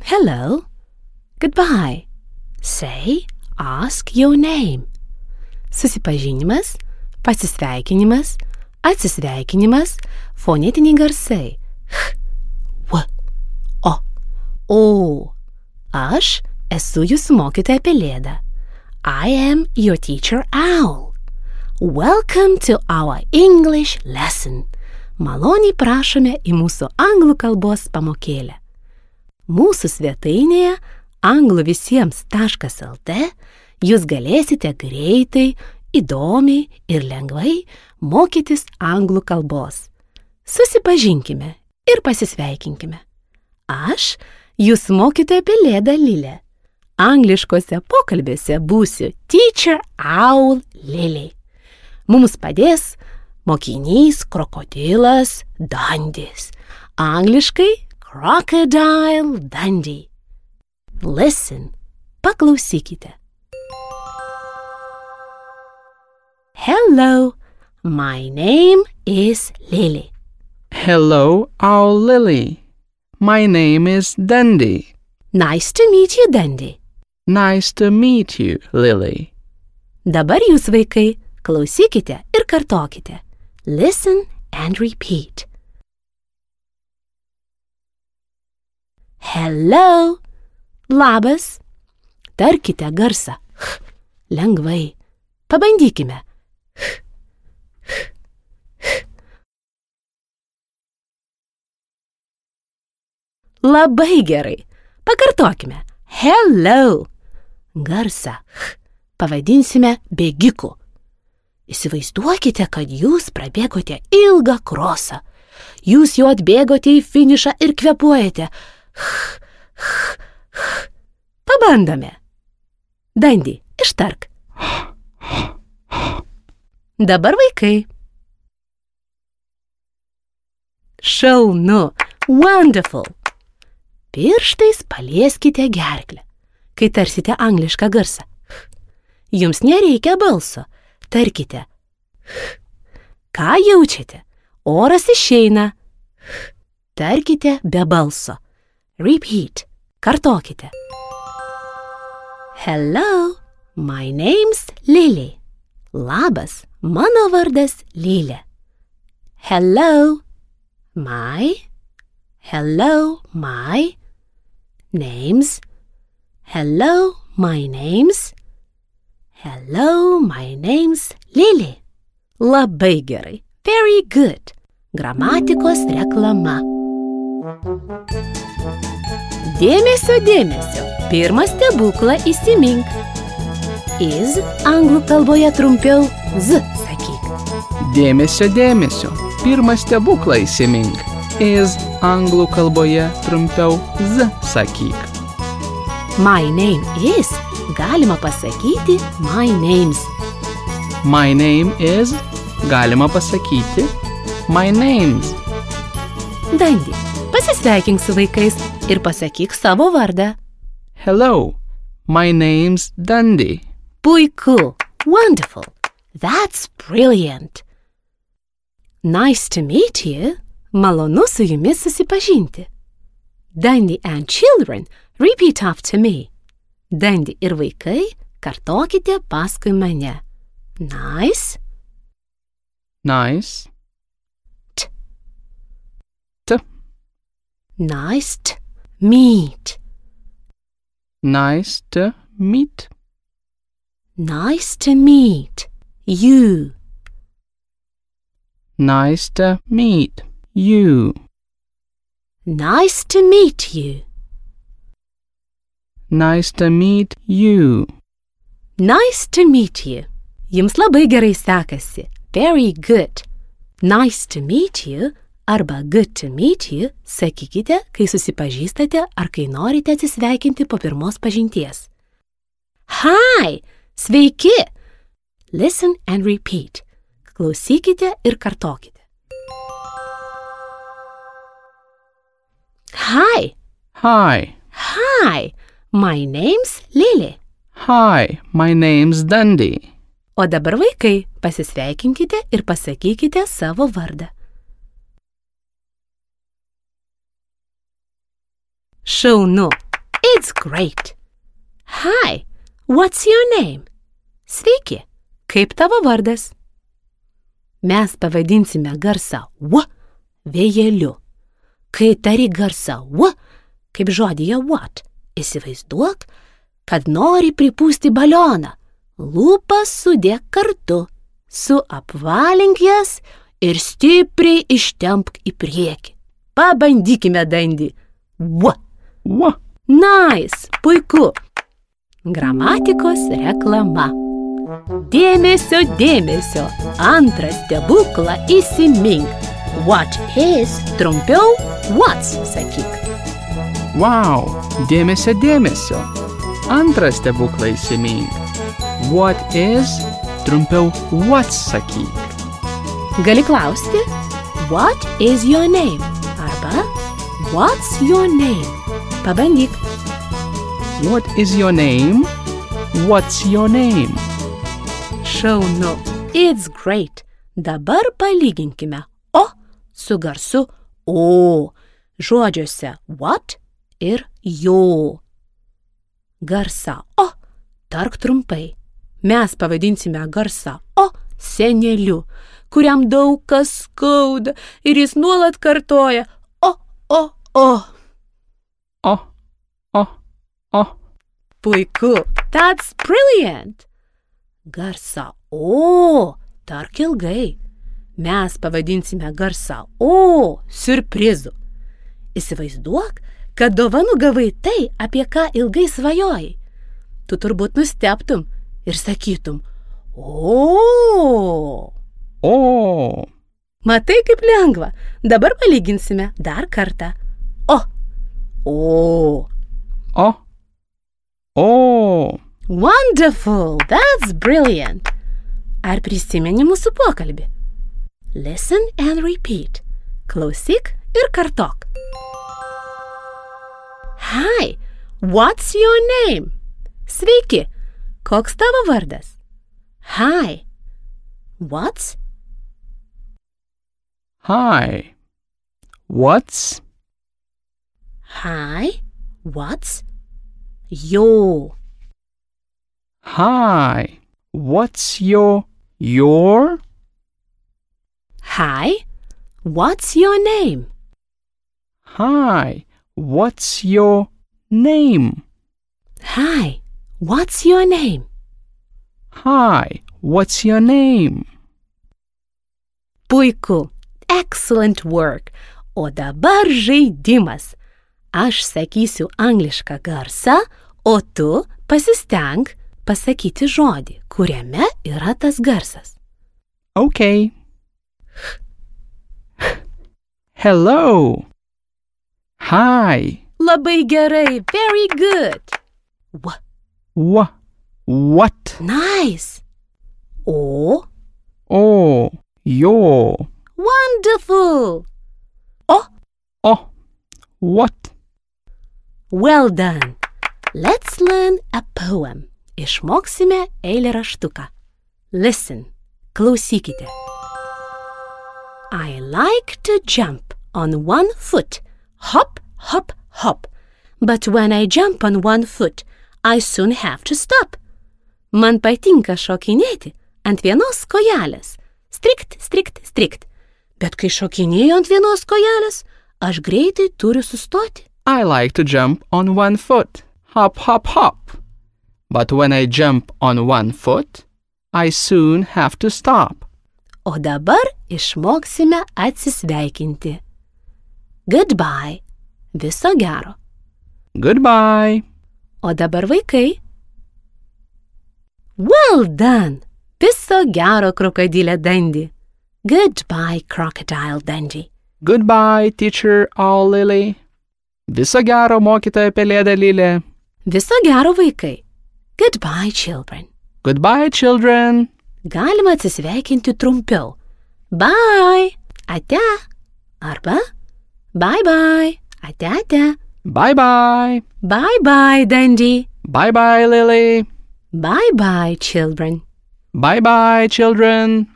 Hello. Goodbye. Say, ask your name. Susipažinimas, pasisveikinimas, atsisveikinimas, fonetiniai garsai. H, w, o, o. Aš esu jūsų mokytoja Pelėda. I am your teacher Owl. Welcome to our English lesson. Maloniai prašome į mūsų anglų kalbos pamokėlę. Mūsų svetainėje angluvisiems.lt jūs galėsite greitai, įdomiai ir lengvai mokytis anglų kalbos. Susipažinkime ir pasisveikinkime. Aš jūsų mokytoja Pelėda Lilė. Angliškose pokalbėse būsiu Teacher Owl Lily. Mums padės mokinys krokodilas Dandys. Angliškai Crocodile Dundee. Listen. Paklausykite. Hello. My name is Lily. Hello, Owl Lily. My name is Dundee. Nice to meet you, Dundee. Nice to meet you, Lily. Dabar jūs, vaikai, klausykite ir kartokite. Listen and repeat. Hello. Labas. Tarkite garsą. H. Lengvai. Pabandykime. H. H. H. Labai gerai. Pakartokime. Hello. Garsą H pavadinsime bėgiku. Įsivaizduokite, kad jūs prabėgote ilgą krosą. Jūs jau atbėgote į finišą ir kvėpuojate. H, h, h. Pabandome. Dundee, ištark. Dabar vaikai. Šaunu. Wonderful. Pirštais palieskite gerklę, kai tarsite anglišką garsą. Jums nereikia balso. Tarkite. Ką jaučiate? Oras išeina. Tarkite be balso. Repeat. Kartokite. Hello. My name's Lily. Labas. Mano vardas Lilė. Hello. My. Hello. My. Names. Hello. My name's. Hello, my name's Lily. Labai gerai. Very good. Gramatikos reklama. Dėmesio, dėmesio. Pirmą stebuklą įsimink. Is anglų kalboje trumpiau z sakyk. Dėmesio, dėmesio. Pirmą stebuklą įsimink. Is anglų kalboje trumpiau z sakyk. My name is galima pasakyti my name's. My name is galima pasakyti my name's. Dundee, pasisveikink su vaikais ir pasakyk savo vardą. Hello, my name's Dundee. Puiku. Wonderful. That's brilliant. Nice to meet you. Malonu su jumis susipažinti. Dundee and children, repeat after me. Dundee ir vaikai, kartokite paskui mane. Nice. Nice. T. T. Nice to meet. Nice to meet. Nice to meet you. Nice to meet you. Nice to meet you. Nice to meet you. Nice to meet you. Jums labai gerai sekasi. Very good. Nice to meet you arba good to meet you sakykite, kai susipažįstate ar kai norite atsisveikinti po pirmos pažinties. Hi! Sveiki! Listen and repeat. Klausykite ir kartokite. Hi! Hi. Hi! My name's Lily. Hi, my name's Dundee. O dabar vaikai, pasisveikinkite ir pasakykite savo vardą. Šaunu. It's great. Hi, what's your name? Sveiki, kaip tavo vardas? Mes pavadinsime garsą W vėjeliu. Kai tari garsą W, kaip žodyje what, įsivaizduok, kad nori pripūsti balioną. Lūpas sudėk kartu, suapvalink jas ir stipriai ištempk į priekį. Pabandykime, Dandy. W. W. Nice, puiku. Gramatikos reklama. Dėmesio, dėmesio, antrą stebuklą įsimink. What is trumpiau what's sakyk. Wow, dėmesio, dėmesio. Antrą stebuklą įsimink. What is trumpiau what's sakyk. Gali klausti, what is your name? Arba, what's your name? Pabandyk. What is your name? What's your name? Šaunu. It's great. Dabar palyginkime O su garsu O. Žodžiuose what ir jo. Garsą O tark trumpai. Mes pavadinsime garsą O seneliu, kuriam daug kas skauda ir jis nuolat kartoja O, O, O. O, O, O. Puiku. That's brilliant. Garsą O tark ilgai. Mes pavadinsime garsą O siurprizu. Įsivaizduok, kad dovanų gavai tai, apie ką ilgai svajojai. Tu turbūt nustebtum ir sakytum O. O. Matai, kaip lengva. Dabar palyginsime dar kartą. O. O. O. O. Wonderful. That's brilliant. Ar prisimeni mūsų pokalbį? Listen and repeat. Klausyk ir kartok. Hi, what's your name? Sveiki, koks tavo vardas? Hi, what's? Hi. What's? Hi, what's? Your. Hi. What's your? Hi, what's your name? Hi. What's your name? Hi, what's your name? Hi. What's your name? Puiku. Excellent work. O dabar žaidimas. Aš sakysiu anglišką garsą, o tu pasisteng pasakyti žodį, kuriame yra tas garsas. Okay. Hello. Hi. Labai gerai. Very good. What? Nice. O. Oh. Your. Wonderful. O. Oh. What? Well done. Let's learn a poem. Išmoksime eilėraštuką. Listen. Klausykite. I like to jump on one foot. Hop, hop, hop. But when I jump on one foot, I soon have to stop. Man patinka šokinėti ant vienos kojelės. Strikt, strikt, strikt. Bet kai šokinėju ant vienos kojelės, aš greitai turiu sustoti. I like to jump on one foot. Hop, hop, hop. But when I jump on one foot, I soon have to stop. O dabar išmoksime atsisveikinti. Goodbye. Viso gero. Goodbye. O dabar vaikai. Well done. Viso gero, krokodilė Dandy. Goodbye, Crocodile Dandy. Goodbye, teacher Owl Lily. Viso gero, mokytoja pelėda Lilė. Viso gero, vaikai. Goodbye, children. Goodbye, children. Galima atsisveikinti trumpiau. Bye. Ate. Arba bye-bye. Ate, ate. Bye-bye. Bye-bye, Dandy. Bye-bye, Lily. Bye-bye, children. Bye-bye, children.